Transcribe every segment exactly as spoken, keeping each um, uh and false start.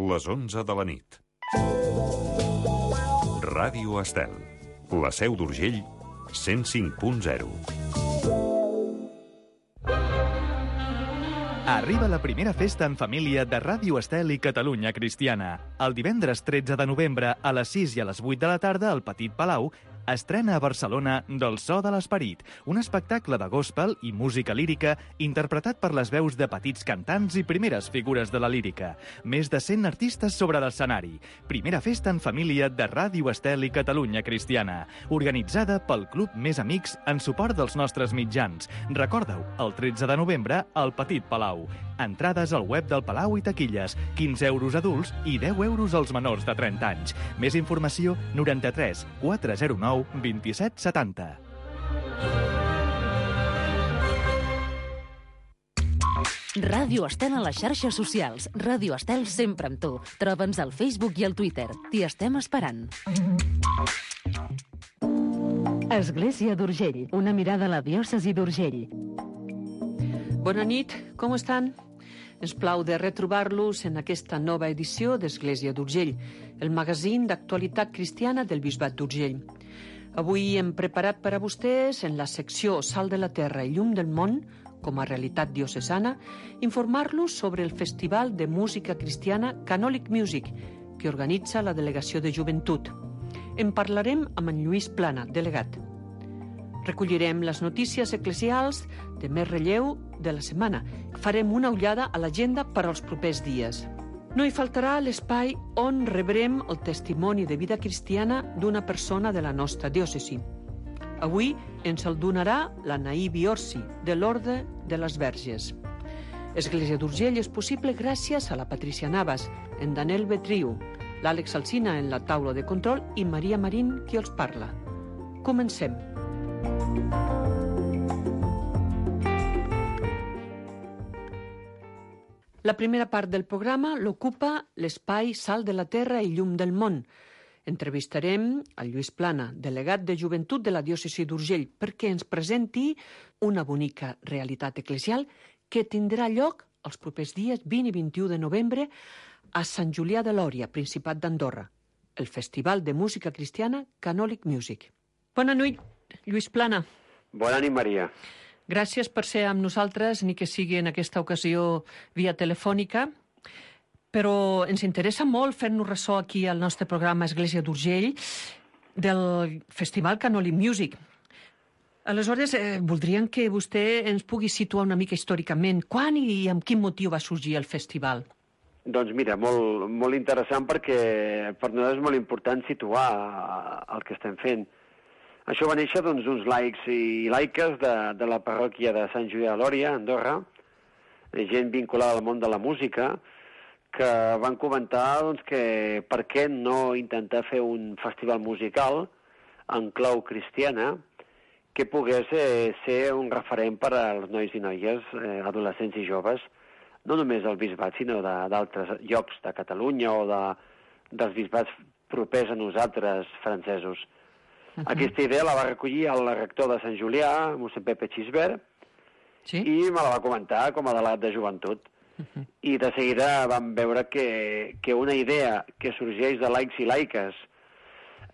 les onze de la nit. Ràdio Estel, la Seu d'Urgell, cent cinc punt zero. Arriba la primera festa en família de Ràdio Estel i Catalunya Cristiana. El divendres tretze de novembre a les sis i a les vuit de la tarda al Petit Palau estrena a Barcelona Del so de l'esperit, un espectacle de gospel i música lírica interpretat per les veus de petits cantants i primeres figures de la lírica. Més de cent artistes sobre l'escenari. Primera festa en família de Ràdio Estel i Catalunya Cristiana, organitzada pel Club Més Amics en suport dels nostres mitjans. Recorda-ho, el tretze de novembre al Petit Palau. Entrades al web del Palau i taquilles, quinze euros adults i deu euros als menors de trenta anys. Més informació, noranta-tres quatre zero nou vint-i-set setanta. Ràdio Estel a les xarxes socials. Ràdio Estel sempre amb tu. Troba'ns al Facebook i al Twitter. T'hi estem esperant. Església d'Urgell. Una mirada a la diòcesi d'Urgell. Bona nit, com estan? Ens plau de retrobar-los en aquesta nova edició d'Església d'Urgell, el magazín d'actualitat cristiana del Bisbat d'Urgell. Avui hem preparat per a vostès, en la secció Sal de la Terra i Llum del Món, com a realitat diocesana, informar-los sobre el Festival de Música Cristiana Canolic Music, que organitza la Delegació de Joventut. En parlarem amb en Lluís Plana, delegat. Recollirem les notícies eclesials de més relleu de la setmana. Farem una ullada a l'agenda per als propers dies. No hi faltarà l'espai on rebrem el testimoni de vida cristiana d'una persona de la nostra diòcesi. Avui ens el donarà la Naí Biorsi, de l'Orde de les Verges. Església d'Urgell és possible gràcies a la Patricia Navas, en Daniel Betriu, l'Àlex Alsina en la taula de control i Maria Marín qui els parla. Comencem. La primera part del programa l'ocupa l'espai Sal de la Terra i Llum del Món. Entrevistarem el Lluís Plana, delegat de Joventut de la diòcesi d'Urgell, perquè ens presenti una bonica realitat eclesial que tindrà lloc els propers dies vint i vint-i-u de novembre a Sant Julià de Lòria, Principat d'Andorra, el Festival de Música Cristiana Canolic Music. Bona nit, Lluís Plana. Bona nit, Maria. Gràcies per ser amb nosaltres, ni que sigui en aquesta ocasió via telefònica, però ens interessa molt fer-nos ressò aquí al nostre programa Església d'Urgell del Festival Canolic Music. Aleshores, eh, voldríem que vostè ens pugui situar una mica històricament. Quan i amb quin motiu va sorgir el festival? Doncs mira, molt, molt interessant perquè per nosaltres és molt important situar el que estem fent. Això va néixer doncs, uns laics i laiques de, de la parròquia de Sant Julià de Lòria, Andorra, gent vinculada al món de la música, que van comentar doncs, que per què no intentar fer un festival musical en clau cristiana que pogués eh, ser un referent per als nois i noies, eh, adolescents i joves, no només del bisbat, sinó d'altres llocs de Catalunya o de, dels bisbats propers a nosaltres, francesos. Uh-huh. Aquesta idea la va recollir el rector de Sant Julià, mossèn Pepe Xisbert, sí? I me la va comentar com a delegat de joventut. Uh-huh. I de seguida vam veure que, que una idea que sorgeix de laics i laiques,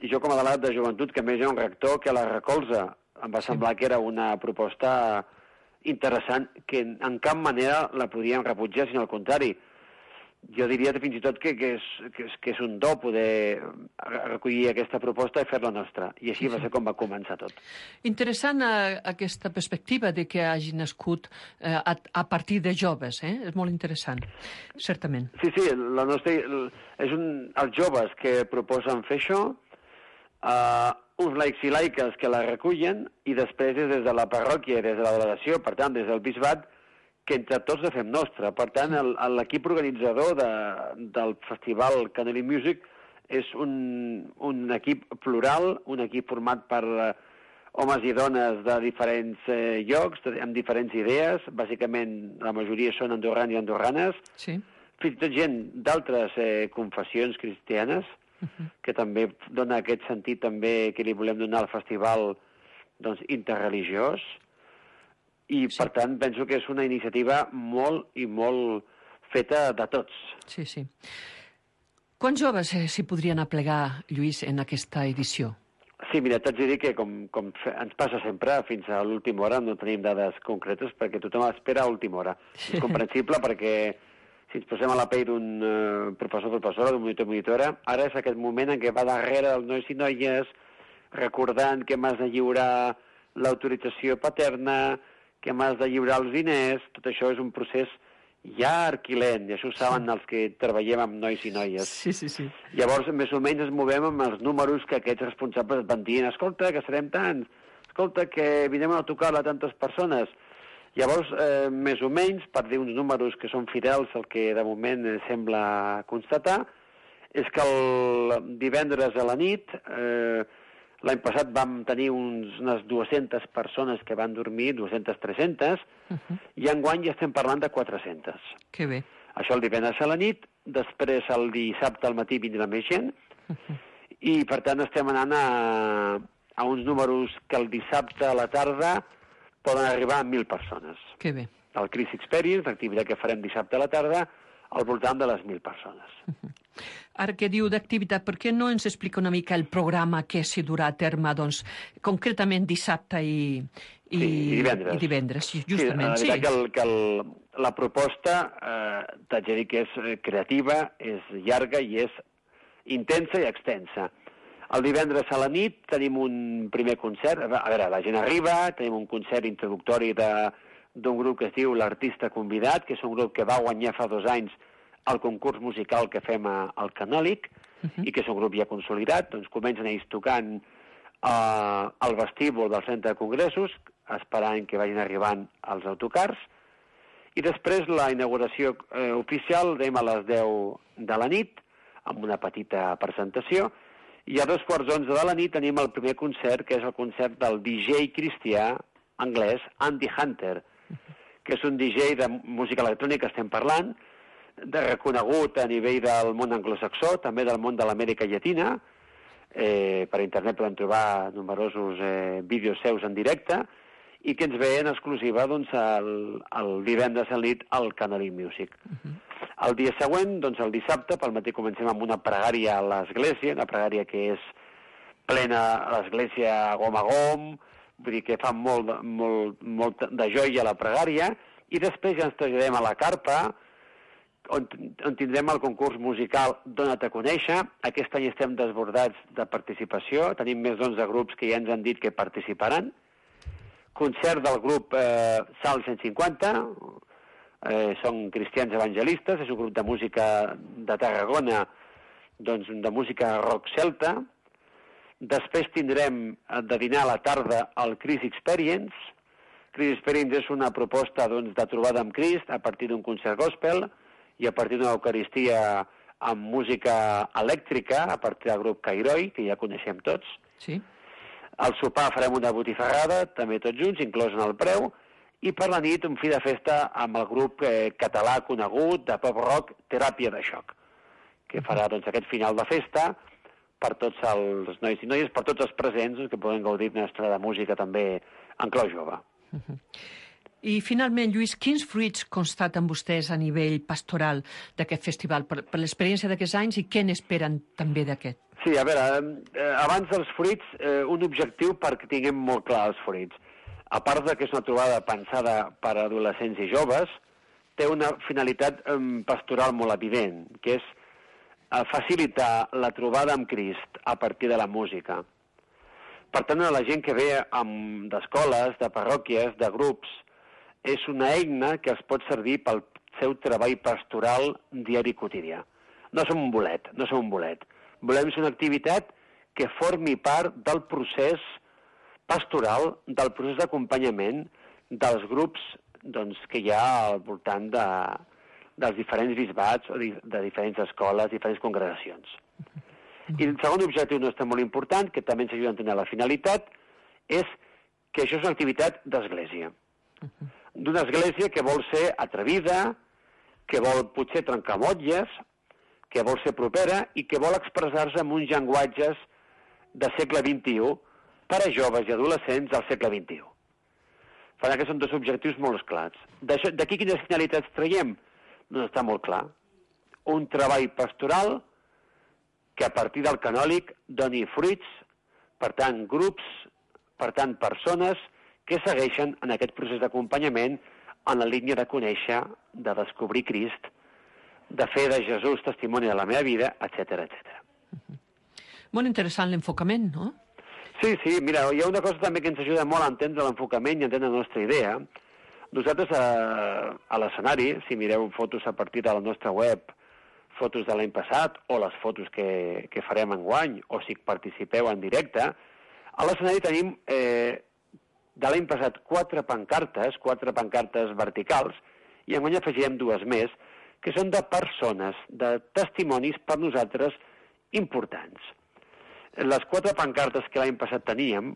i jo com a delegat de joventut, que més hi ha un rector que la recolza, em va sí. semblar que era una proposta interessant, que en cap manera la podíem rebutjar, sinó al contrari. Jo diria fins i tot que, que, és, que, és, que és un do poder recollir aquesta proposta i fer-la nostra. I així sí, va ser com va començar tot. Interessant eh, aquesta perspectiva de que hagi nascut eh, a, a partir de joves. Eh? És molt interessant, certament. Sí, sí, la nostra, és un, els joves que proposen fer això, eh, uns laics i laiques que la recullen i després des de la parròquia, des de la delegació, per tant, des del bisbat, que entre tots la fem nostra. Per tant, l'equip organitzador de, del Festival Canolic Music és un, un equip plural, un equip format per eh, homes i dones de diferents eh, llocs, amb diferents idees. Bàsicament, la majoria són andorrans i andorranes. Sí. Fins i tot gent d'altres eh, confessions cristianes, uh-huh. que també dona aquest sentit també que li volem donar al festival doncs, interreligiós. I, sí. per tant, penso que és una iniciativa molt i molt feta de tots. Sí, sí. Quants joves s'hi podrien aplegar, Lluís, en aquesta edició? Sí, mira, t'haig de dir que, com, com ens passa sempre, fins a l'última hora no tenim dades concretes perquè tothom espera a última hora. És comprensible perquè si ens posem a la pell d'un uh, professor o professora, d'un monitor o monitora, ara és aquest moment en què va darrere dels nois i noies recordant que m'has de lliurar l'autorització paterna, que m'has de lliurar els diners. Tot això és un procés llarg i lent, i això ho saben els que treballem amb nois i noies. Sí, sí, sí. Llavors, més o menys ens movem amb els números que aquests responsables van dient, escolta, que serem tants, escolta, que vindrem a tocar a tantes persones. Llavors, eh, més o menys, per dir uns números que són fidels al que de moment eh, sembla constatar, és que el divendres a la nit, eh, l'any passat vam tenir uns, unes dues-centes persones que van dormir, dues-centes, tres-centes, uh-huh. i enguany ja estem parlant de quatre-centes. Que bé. Això el divendres a la nit, després el dissabte al matí vindrà més gent, uh-huh. i per tant estem anant a, a uns números que el dissabte a la tarda poden arribar a mil persones. Que bé. El Chris Experience, l'activitat que farem dissabte a la tarda, al voltant de les mil persones. Uh-huh. Ara que diu d'activitat, per què no ens explica una mica el programa que s'hi durà a terme, doncs, concretament dissabte i, i, sí, i divendres. I divendres, justament. Sí, la veritat sí. que, el, que el, la proposta, eh, t'haig de dir que és creativa, és llarga i és intensa i extensa. El divendres a la nit tenim un primer concert, a veure, la gent arriba, tenim un concert introductori d'un grup que es diu l'Artista Convidat, que és un grup que va guanyar fa dos anys el concurs musical que fem a, al Canòlic, uh-huh. i que és un grup ja consolidat, doncs comencen ells tocant uh, al vestíbul del centre de congressos, esperant que vagin arribant els autocars, i després la inauguració eh, oficial dem a les deu de la nit, amb una petita presentació, i a dos quarts d'onze de la nit tenim el primer concert, que és el concert del D J cristià anglès Andy Hunter, uh-huh. que és un D J de música electrònica, estem parlant, de reconegut a nivell del món anglosaxó, també del món de l'Amèrica Llatina. Eh, per internet podem trobar numerosos eh, vídeos seus en directe i que ens ve en exclusiva doncs, el, el divendres a la nit al Canary Music. Uh-huh. El dia següent, doncs, el dissabte, pel matí comencem amb una pregària a l'església, una pregària que és plena a l'església gom a gom, vull dir que fa molt, molt, molt de joia la pregària, i després ja ens traslladem a la carpa, On, on tindrem el concurs musical Dona't a conèixer. Aquest any estem desbordats de participació, tenim més d'onze grups que ja ens han dit que participaran. Concert del grup eh, Sal cent cinquanta, eh, són cristians evangelistes, és un grup de música de Tarragona, doncs de música rock celta. Després tindrem de dinar a la tarda el Chris Experience. Chris Experience és una proposta doncs, de trobada amb Crist a partir d'un concert gospel, i a partir d'una eucaristia amb música elèctrica, a partir del grup Cairoi, que ja coneixem tots. Sí. Al sopar farem una botifarrada, també tots junts, inclòs en el preu, i per la nit un fi de festa amb el grup eh, català conegut de pop rock Teràpia de Xoc, que farà doncs, aquest final de festa per tots els nois i noies, per tots els presents que poden gaudir d'una estona de música també en clau jove. Uh-huh. I, finalment, Lluís, quins fruits constaten vostès a nivell pastoral d'aquest festival, per, per l'experiència d'aquests anys, i què n'esperen també d'aquest? Sí, a veure, eh, abans dels fruits, eh, un objectiu perquè tinguem molt clar els fruits. A part de que és una trobada pensada per a adolescents i joves, té una finalitat eh, pastoral molt evident, que és eh, facilitar la trobada amb Crist a partir de la música. Per tant, a la gent que ve amb, d'escoles, de parròquies, de grups, és una eina que es pot servir pel seu treball pastoral diari quotidià. No som un bolet, no som un bolet. Volem ser una activitat que formi part del procés pastoral, del procés d'acompanyament dels grups doncs, que hi ha al voltant de, dels diferents bisbats, o de, de diferents escoles, diferents congregacions. I el segon objectiu nostre molt important, que també ens ajuda a entendre la finalitat, és que això és una activitat d'església. D'una església que vol ser atrevida, que vol potser trencar motlles, que vol ser propera i que vol expressar-se en uns llenguatges de segle vint-i-u per a joves i adolescents del segle vint-i-u. Per tant, que són dos objectius molt clars. D'aquí quines finalitats traiem? Doncs està molt clar. Un treball pastoral que a partir del canòlic doni fruits, per tant, grups, per tant, persones que segueixen en aquest procés d'acompanyament en la línia de conèixer, de descobrir Crist, de fer de Jesús testimoni de la meva vida, etcètera, etcètera. Molt interessant l'enfocament, no? Sí, sí, mira, hi ha una cosa també que ens ajuda molt a entendre l'enfocament i a entendre la nostra idea. Nosaltres a, a l'escenari, si mireu fotos a partir de la nostra web, fotos de l'any passat o les fotos que, que farem enguany, o si participeu en directe, a l'escenari tenim eh, de l'any passat quatre pancartes, quatre pancartes verticals, i enguany afegirem dues més, que són de persones, de testimonis per nosaltres importants. Les quatre pancartes que l'any passat teníem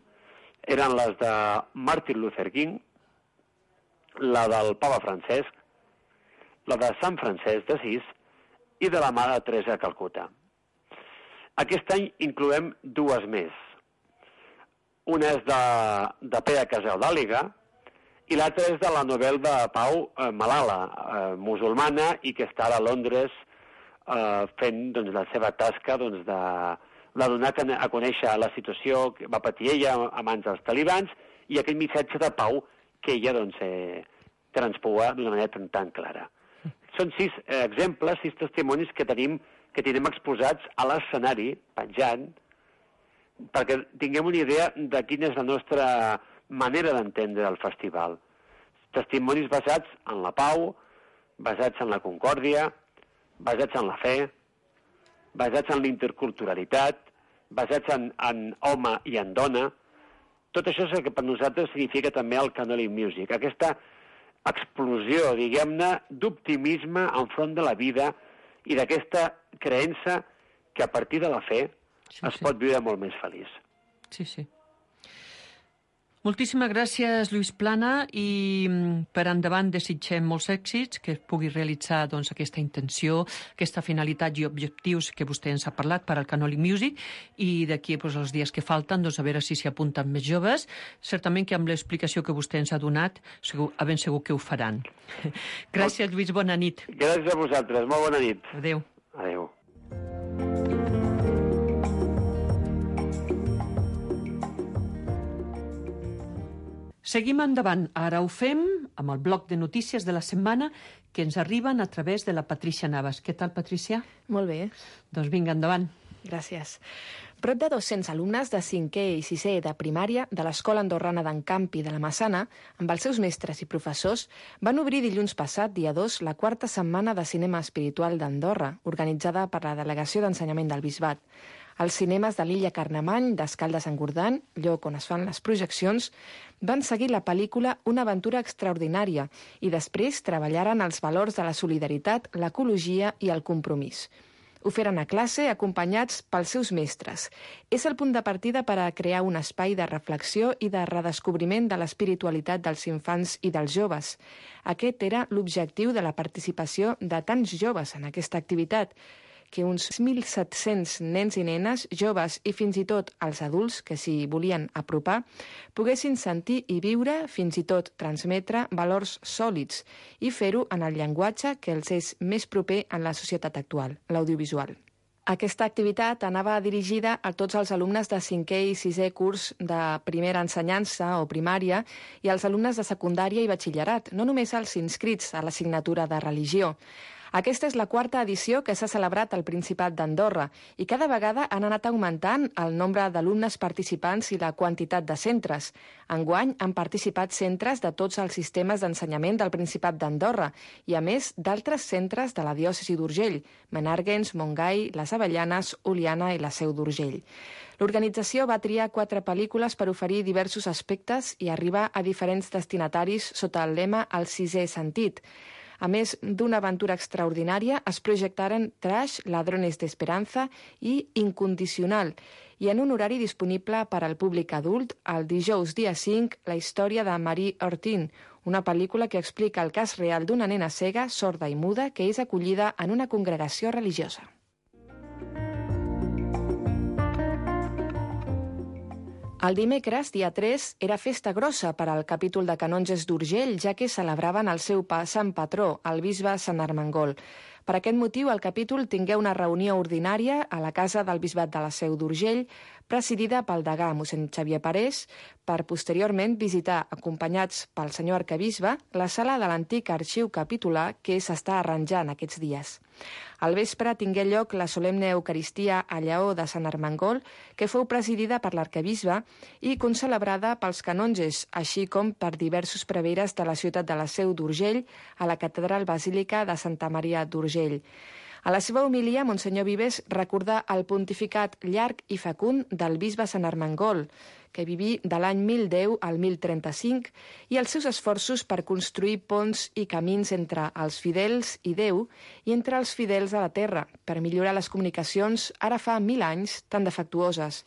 eren les de Martin Luther King, la del Papa Francesc, la de Sant Francesc d'Assís i de la Mare Teresa de Calcuta. Aquest any incloem dues més. Una és de, de Pere Casal d'Àliga i l'altra és de la Nobel de Pau eh, Malala, eh, musulmana, i que està a Londres eh, fent doncs, la seva tasca doncs, de, de donar a conèixer la situació que va patir ella a mans dels talibans i aquell missatge de pau que ella doncs, eh, transpua d'una manera tan, tan clara. Són sis eh, exemples, sis testimonis que tenim que tenim exposats a l'escenari, penjant, perquè tinguem una idea de quina és la nostra manera d'entendre el festival. Testimonis basats en la pau, basats en la concòrdia, basats en la fe, basats en l'interculturalitat, basats en, en home i en dona. Tot això és el que per nosaltres significa també el Canonic Music, aquesta explosió, diguem-ne, d'optimisme enfront de la vida i d'aquesta creença que a partir de la fe sí, es sí. pot viure molt més feliç. Sí, sí. Moltíssimes gràcies, Lluís Plana, i per endavant desitgem molts èxits, que es pugui realitzar doncs, aquesta intenció, aquesta finalitat i objectius que vostè ens ha parlat per al Canonic Music, i d'aquí doncs, els dies que falten, doncs, a veure si s'hi apunten més joves. Certament que amb l'explicació que vostè ens ha donat, segur, ben segur que ho faran. Gràcies, Lluís, bona nit. Gràcies a vosaltres, molt bona nit. Adéu. Adéu. Seguim endavant. Ara ho fem amb el bloc de notícies de la setmana que ens arriben a través de la Patrícia Navas. Què tal, Patrícia? Molt bé. Doncs vinga, endavant. Gràcies. Prop de dos-cents alumnes de cinquè i sisè de primària de l'Escola Andorrana d'en Campi de la Massana, amb els seus mestres i professors, van obrir dilluns passat, dia dos, la quarta setmana de cinema espiritual d'Andorra, organitzada per la Delegació d'Ensenyament del Bisbat. Els cinemes de l'illa Carnemany, d'Escaldes-Engordany, lloc on es fan les projeccions, van seguir la pel·lícula Una aventura extraordinària i després treballaren els valors de la solidaritat, l'ecologia i el compromís. Ho feren a classe acompanyats pels seus mestres. És el punt de partida per a crear un espai de reflexió i de redescobriment de l'espiritualitat dels infants i dels joves. Aquest era l'objectiu de la participació de tants joves en aquesta activitat, que uns mil set-cents nens i nenes, joves i fins i tot els adults que s'hi volien apropar, poguessin sentir i viure, fins i tot transmetre, valors sòlids i fer-ho en el llenguatge que els és més proper en la societat actual, l'audiovisual. Aquesta activitat anava dirigida a tots els alumnes de cinquè i sisè curs de primera ensenyança o primària i als alumnes de secundària i batxillerat, no només als inscrits a l'assignatura de religió. Aquesta és la quarta edició que s'ha celebrat al Principat d'Andorra i cada vegada han anat augmentant el nombre d'alumnes participants i la quantitat de centres. Enguany han participat centres de tots els sistemes d'ensenyament del Principat d'Andorra i, a més, d'altres centres de la diòcesi d'Urgell, Menàrguens, Montgai, les Avellanes, Oliana i la Seu d'Urgell. L'organització va triar quatre pel·lícules per oferir diversos aspectes i arribar a diferents destinataris sota el lema El sisè sentit. A més d'una aventura extraordinària, es projectaren Trash, Ladrones d'Esperanza i Incondicional, i en un horari disponible per al públic adult, el dijous dia cinc, la història de Marie Hortin, una pel·lícula que explica el cas real d'una nena cega, sorda i muda que és acollida en una congregació religiosa. El dimecres, dia tres, era festa grossa per al capítol de canonges d'Urgell, ja que celebraven el seu sant patró, el bisbe Sant Armengol. Per aquest motiu, el capítol tingué una reunió ordinària a la casa del Bisbat de la Seu d'Urgell, presidida pel degà mossèn Xavier Parés, per posteriorment visitar, acompanyats pel senyor arquebisbe, la sala de l'antic arxiu capitular que s'està arranjant aquests dies. Al vespre tingué lloc la solemne Eucaristia a Lleó de Sant Armengol, que fou presidida per l'arquebisbe i concelebrada pels canonges, així com per diversos preveres de la ciutat de la Seu d'Urgell a la catedral basílica de Santa Maria d'Urgell. A la seva homilia, Monsenyor Vives recordà el pontificat llarg i fecund del bisbe Sant Armengol, que viví de l'any mil deu al mil trenta-cinc, i els seus esforços per construir ponts i camins entre els fidels i Déu i entre els fidels a la terra, per millorar les comunicacions ara fa mil anys tan defectuoses.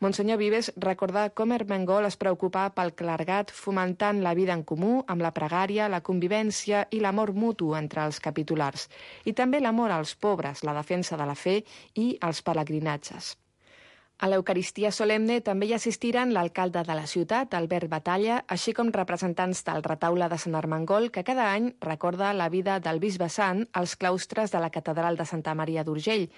Monsenyor Vives recordà com Armengol es preocupà pel clergat fomentant la vida en comú amb la pregària, la convivència i l'amor mutu entre els capitulars, i també l'amor als pobres, la defensa de la fe i els pelegrinatges. A l'Eucaristia solemne també hi assistiren l'alcalde de la ciutat, Albert Batalla, així com representants del retaule de Sant Armengol, que cada any recorda la vida del bisbe sant als claustres de la catedral de Santa Maria d'Urgell,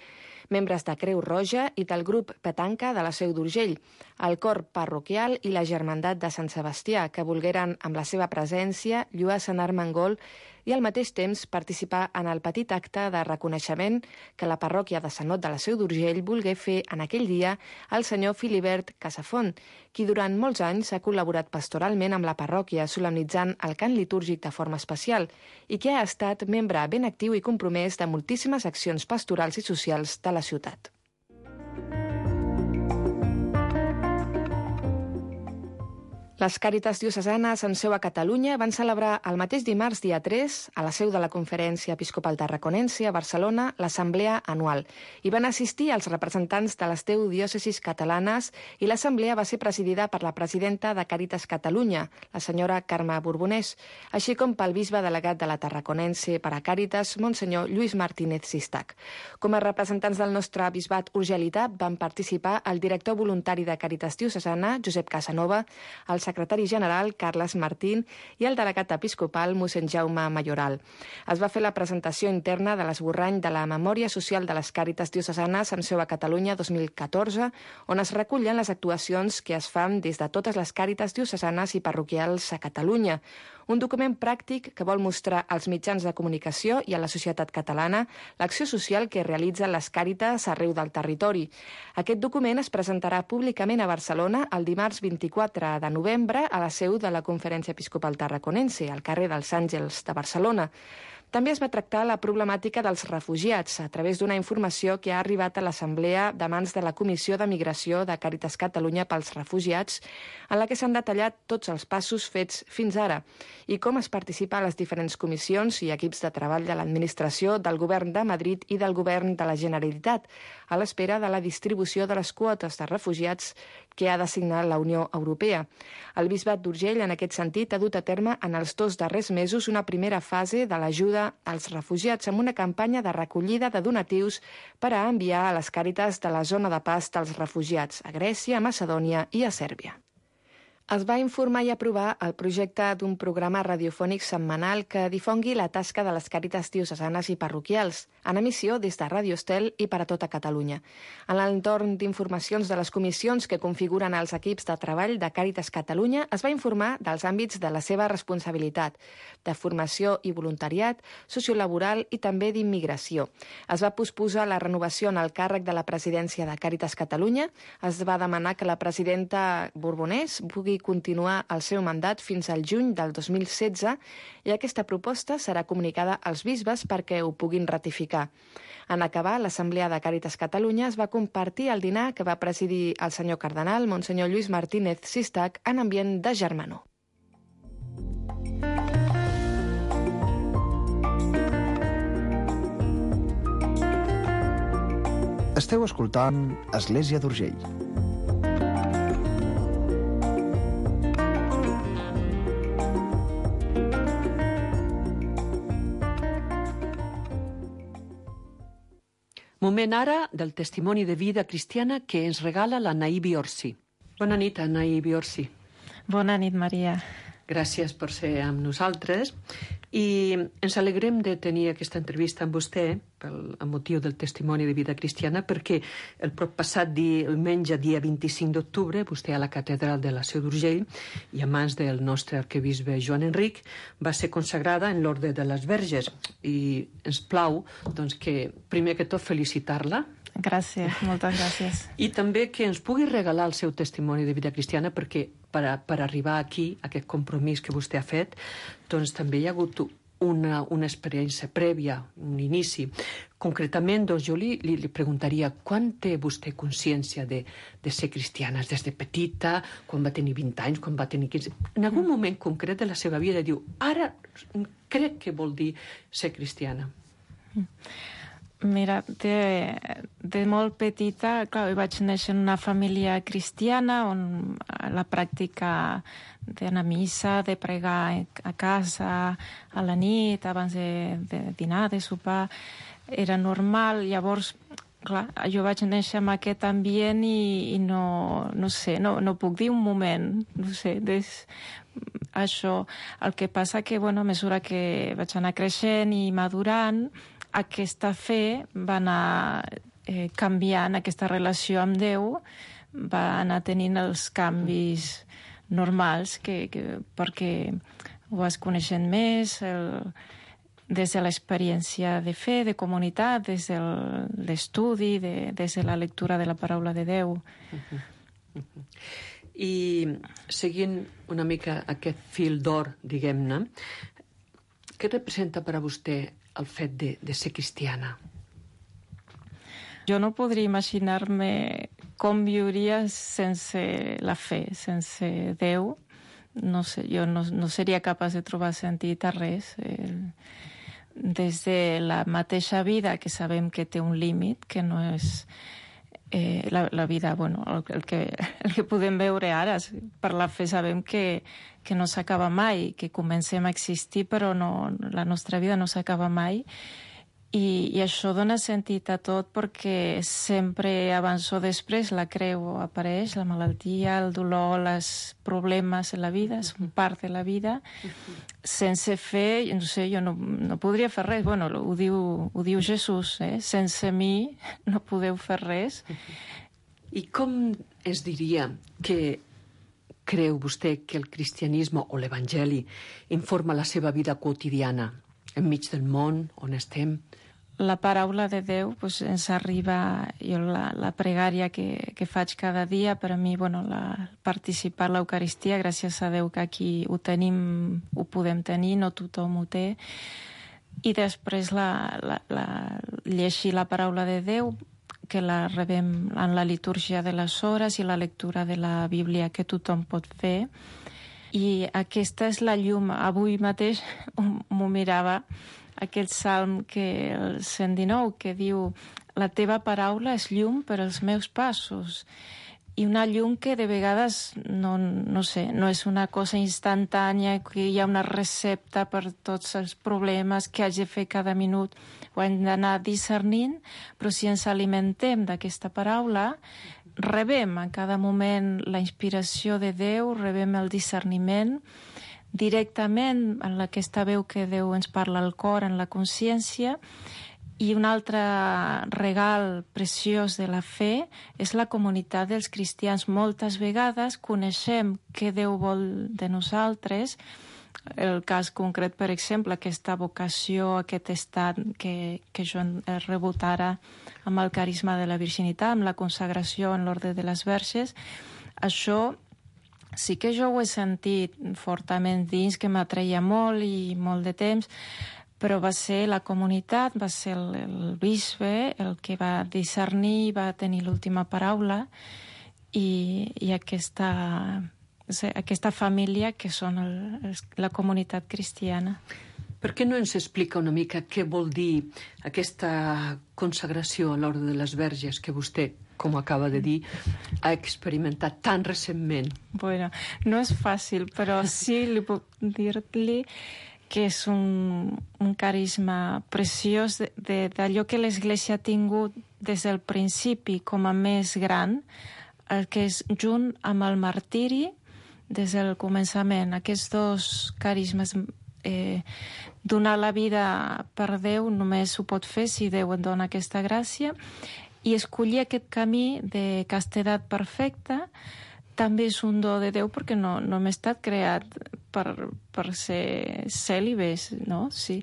membres de Creu Roja i del grup Petanca de la Seu d'Urgell, el cor parroquial i la germandat de Sant Sebastià, que volgueren, amb la seva presència, lluar Sant Armengol i al mateix temps participar en el petit acte de reconeixement que la parròquia de Sant Ot de la Seu d'Urgell volgué fer en aquell dia al senyor Filibert Casafont, qui durant molts anys ha col·laborat pastoralment amb la parròquia, solemnitzant el cant litúrgic de forma especial, i que ha estat membre ben actiu i compromès de moltíssimes accions pastorals i socials de la ciutat. Les Càritas diocesanes amb seu a Catalunya van celebrar el mateix dimarts dia tres, a la seu de la Conferència Episcopal Tarraconense a Barcelona, l'assemblea anual. Hi van assistir els representants de les deu diòcesis catalanes i l'assemblea va ser presidida per la presidenta de Càritas Catalunya, la senyora Carme Borbonès, així com pel bisbe delegat de la Tarraconense per a Càritas, Monsenyor Lluís Martínez Sistac. Com a representants del nostre bisbat urgelità van participar el director voluntari de Càritas diocesana, Josep Casanova, el secretari general, Carles Martín, i el delegat episcopal, mossèn Jaume Mayoral. Es va fer la presentació interna de l'esborrany de la Memòria Social de les Càritas diocesanes amb seu a Catalunya dos mil catorze, on es recullen les actuacions que es fan des de totes les Càritas diocesanes i parroquials a Catalunya. Un document pràctic que vol mostrar als mitjans de comunicació i a la societat catalana l'acció social que realitzen les Càritas arreu del territori. Aquest document es presentarà públicament a Barcelona el dimarts vint-i-quatre de novembre a la seu de la Conferència Episcopal Tarraconense, al carrer dels Àngels de Barcelona. També es va tractar la problemàtica dels refugiats a través d'una informació que ha arribat a l'Assemblea de mans de la Comissió de Migració de Càritas Catalunya pels refugiats, en la que s'han detallat tots els passos fets fins ara i com es participa a les diferents comissions i equips de treball de l'administració del Govern de Madrid i del Govern de la Generalitat, a l'espera de la distribució de les quotes de refugiats que ha d'asignar la Unió Europea. El Bisbat d'Urgell, en aquest sentit, ha dut a terme en els dos darrers mesos una primera fase de l'ajuda als refugiats amb una campanya de recollida de donatius per a enviar a les Càritas de la zona de pas dels refugiats, a Grècia, a Macedònia i a Sèrbia. Es va informar i aprovar el projecte d'un programa radiofònic setmanal que difongui la tasca de les Càritas diocesanes i parroquials, en emissió des de Ràdio Estel i per a tota Catalunya. En l'entorn d'informacions de les comissions que configuren els equips de treball de Càritas Catalunya es va informar dels àmbits de la seva responsabilitat, de formació i voluntariat, sociolaboral i també d'immigració. Es va posposar la renovació en el càrrec de la presidència de Càritas Catalunya, es va demanar que la presidenta Borbonès pugui continuar el seu mandat fins al juny del dos mil setze i aquesta proposta serà comunicada als bisbes perquè ho puguin ratificar. En acabar, l'Assemblea de Càritas Catalunya es va compartir el dinar que va presidir el senyor cardenal, Monsenyor Lluís Martínez Sistac, en ambient de germanor. Esteu escoltant Església d'Urgell. Moment ara del testimoni de vida cristiana que ens regala l'Anaí Biorsi. Bona nit, Anaí Biorsi. Bona nit, Maria. Gràcies per ser amb nosaltres. I ens alegrem de tenir aquesta entrevista amb vostè pel motiu del testimoni de vida cristiana, perquè el passat diumenge, dia vint-i-cinc d'octubre, vostè a la catedral de la Seu d'Urgell i a mans del nostre arquebisbe Joan Enric va ser consagrada en l'Orde de les Verges. I ens plau doncs, que, primer que tot, felicitar-la. Gràcies, moltes gràcies. I també que ens pugui regalar el seu testimoni de vida cristiana, perquè per, a, per arribar aquí, a aquest compromís que vostè ha fet, doncs també hi ha hagut una, una experiència prèvia, un inici. Concretament, doncs, jo li, li, li preguntaria quan té vostè consciència de, de ser cristiana? Des de petita, quan va tenir vint anys, quan va tenir quinze... En algun moment concret de la seva vida diu, ara crec que vol dir ser cristiana. Mira, de, de molt petita, clar, vaig néixer en una família cristiana on la pràctica d'anar a missa, de pregar a casa a la nit, abans de, de dinar, de sopar, era normal. Llavors, clar, jo vaig néixer en aquest ambient i, i no, no sé, no, no puc dir un moment, no sé, des, això. El que passa que, bueno, a mesura que vaig anar creixent i madurant, aquesta fe va anar eh, canviant, aquesta relació amb Déu va anar tenint els canvis normals que, que, perquè ho vas coneixent més el, des de l'experiència de fe, de comunitat, des de l'estudi, de, des de la lectura de la paraula de Déu. Uh-huh. Uh-huh. I seguint una mica aquest fil d'or, diguem-ne, què representa per a vostè el fet de, de ser cristiana? Jo no podria imaginar-me com viuria sense la fe, sense Déu. No sé, jo no, no seria capaç de trobar sentit a res. Eh, des de la mateixa vida, que sabem que té un límit, que no és eh, la, la vida, bueno, el, el, que, el que podem veure ara. Per la fe sabem que que no s'acaba mai, que comencem a existir, però no, la nostra vida no s'acaba mai. I, I això dona sentit a tot perquè sempre, abans o després, la creu apareix, la malaltia, el dolor, els problemes en la vida, són part de la vida. Sense fe, no sé, jo no, no podria fer res. Bueno, ho diu, ho diu Jesús, eh? Sense mi no podeu fer res. I com es diria que creu vostè que el cristianisme o l'evangeli informa la seva vida quotidiana enmig del món on estem? La paraula de Déu pues, ens arriba, jo la, la pregària que, que faig cada dia, per a mi, bueno, la, participar a l'Eucaristia, gràcies a Déu que aquí ho tenim, ho podem tenir, no tothom ho té, i després la, la, la, llegir la paraula de Déu, que la rebem en la litúrgia de les hores i la lectura de la Bíblia que tothom pot fer. I aquesta és la llum. Avui mateix m'ho mirava, aquest salm, que el cent dinou, que diu la teva paraula és llum per als meus passos. I una llum que de vegades, no, no sé, no és una cosa instantània, que hi ha una recepta per tots els problemes que haig de fer cada minut. Ho hem d'anar discernint, però si ens alimentem d'aquesta paraula, rebem en cada moment la inspiració de Déu, rebem el discerniment directament en aquesta veu que Déu ens parla al cor, en la consciència. I un altre regal preciós de la fe és la comunitat dels cristians. Moltes vegades coneixem què Déu vol de nosaltres. El cas concret, per exemple, aquesta vocació, aquest estat que, que jo he rebut ara amb el carisma de la virginitat, amb la consagració en l'Orde de les Verges, això sí que jo ho he sentit fortament dins, que m'atreia molt i molt de temps, però va ser la comunitat, va ser el, el bisbe el que va discernir, va tenir l'última paraula, i, i aquesta, aquesta família que són el, la comunitat cristiana. Per què no ens explica una mica què vol dir aquesta consagració a l'Orde de les Verges que vostè, com acaba de dir, ha experimentat tan recentment? Bueno, no és fàcil, però sí li puc dir-li que és un, un carisma preciós d'allò que l'Església ha tingut des del principi com a més gran, el que és junt amb el martiri des del començament. Aquests dos carismes eh, donar la vida per Déu només ho pot fer si Déu et dona aquesta gràcia, i escollir aquest camí de castedat perfecta també és un do de Déu, perquè no, no hem estat creat per, per ser cèlibes, no? Sí.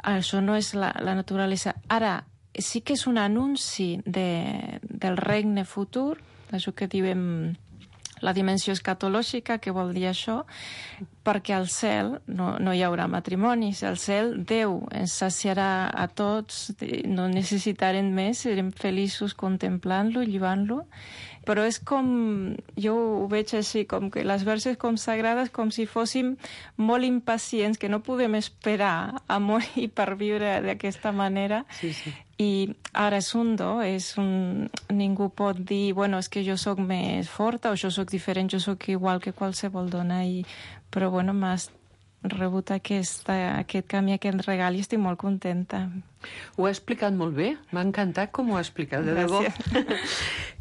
Això no és la, la naturalesa. Ara, sí que és un anunci de, del regne futur, això que diem la dimensió escatològica, que vol dir això, perquè al cel no, no hi haurà matrimonis. Al cel Déu ens saciarà a tots, no necessitarem més, serem feliços contemplant-lo, llivant-lo. Però és com, jo ho veig així, com que les verses com sagrades, com si fóssim molt impacients, que no podem esperar a morir per viure d'aquesta manera. Sí, sí. I ara és un do, és un... ningú pot dir, bueno, és que jo sóc més forta o jo sóc diferent, jo sóc igual que qualsevol dona. I... Però, bueno, m'has rebut aquest, aquest camí, aquest regal, i estic molt contenta. Ho ha explicat molt bé, m'ha encantat com ho ha explicat, de debò.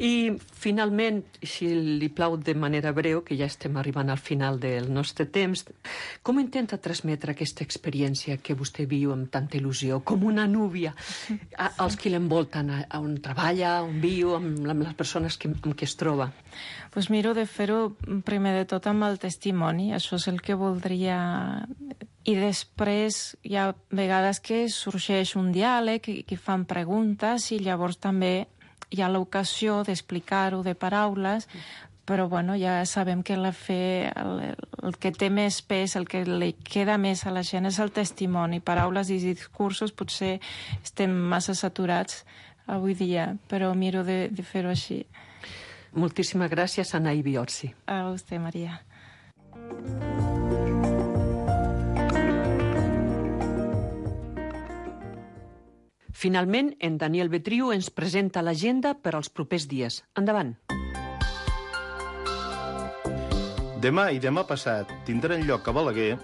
I, finalment, si li plau de manera breu, que ja estem arribant al final del nostre temps, com intenta transmetre aquesta experiència que vostè viu amb tanta il·lusió, com una núvia, a, als que l'envolten, a, a on treballa, on viu, amb, amb les persones que, amb què es troba? Pues miro de fer-ho primer de tot amb el testimoni, això és el que voldria. I després hi ha vegades que sorgeix un diàleg i que fan preguntes, i llavors també hi ha l'ocasió d'explicar-ho de paraules, però bueno, ja sabem que la fe, el, el que té més pes, el que li queda més a la gent és el testimoni. Paraules i discursos potser estem massa saturats avui dia, però miro de, de fer-ho així. Moltíssimes gràcies, Anaí Biorsi. A vostè, Maria. Finalment, en Daniel Betriu ens presenta l'agenda per als propers dies. Endavant. Demà i demà passat tindran lloc a Balaguer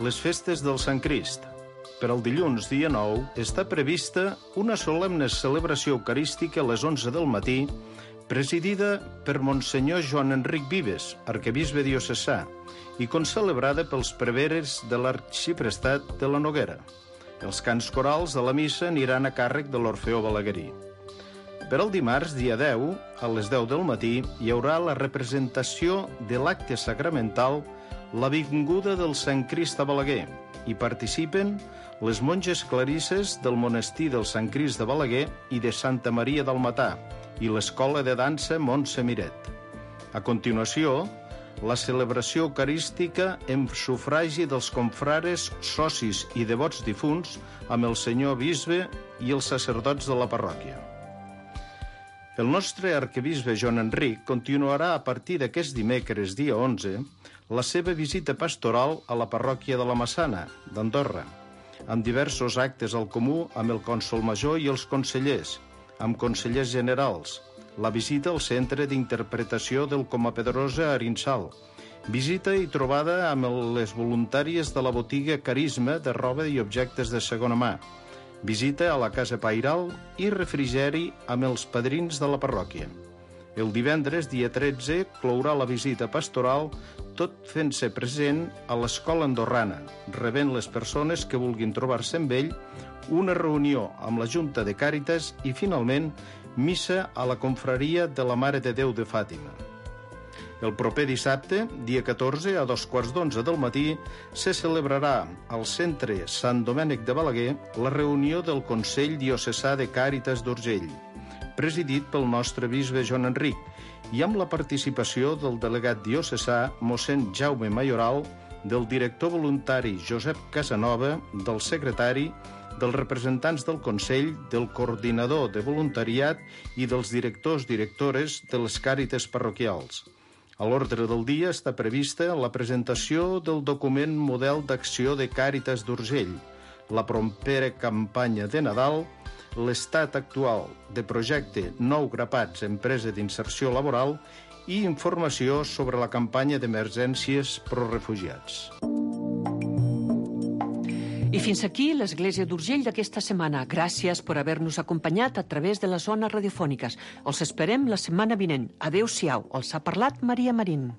les festes del Sant Crist. Per al dilluns, dia nou, està prevista una solemne celebració eucarística a les onze del matí, presidida per Monsenyor Joan Enric Vives, arquebisbe diocesà, i concelebrada pels preveres de l'arxiprestat de la Noguera. Els cants corals de la missa aniran a càrrec de l'Orfeó Balaguerí. Per al dimarts, dia deu, a les deu del matí, hi haurà la representació de l'acte sacramental La Vinguda del Sant Crist a Balaguer. Hi participen les monges clarisses del monestir del Sant Crist de Balaguer i de Santa Maria del Matà i l'Escola de Dansa Montse Miret. A continuació, la celebració eucarística en sufragi dels confrares, socis i devots difunts amb el senyor bisbe i els sacerdots de la parròquia. El nostre arquebisbe Joan Enric continuarà a partir d'aquest dimecres, dia onze, la seva visita pastoral a la parròquia de la Massana, d'Andorra, amb diversos actes al comú amb el cònsol major i els consellers, amb consellers generals, la visita al centre d'interpretació del Comapedrosa a Arinsal, visita i trobada amb les voluntàries de la botiga Carisma de roba i objectes de segona mà, visita a la Casa Pairal i refrigeri amb els padrins de la parròquia. El divendres, dia tretze, clourà la visita pastoral, tot fent-se present a l'Escola Andorrana, rebent les persones que vulguin trobar-se amb ell, una reunió amb la Junta de Càritas i, finalment, missa a la confraria de la Mare de Déu de Fàtima. El proper dissabte, dia catorze, a dos quarts d'onze del matí, se celebrarà al Centre Sant Domènec de Balaguer la reunió del Consell Diocesà de Càritas d'Urgell, presidit pel nostre bisbe Joan Enric, i amb la participació del delegat diocesà mossèn Jaume Mayoral, del director voluntari Josep Casanova, del secretari, dels representants del Consell, del coordinador de voluntariat i dels directors directores de les càritas parroquials. A l'ordre del dia està prevista la presentació del document model d'acció de Càritas d'Urgell, la propera campanya de Nadal, l'estat actual de projecte Nou Grapats Empresa d'Inserció Laboral i informació sobre la campanya d'emergències pro refugiats. I fins aquí l'Església d'Urgell d'aquesta setmana. Gràcies per haver-nos acompanyat a través de les zones radiofòniques. Els esperem la setmana vinent. Adéu-siau. Els ha parlat Maria Marín.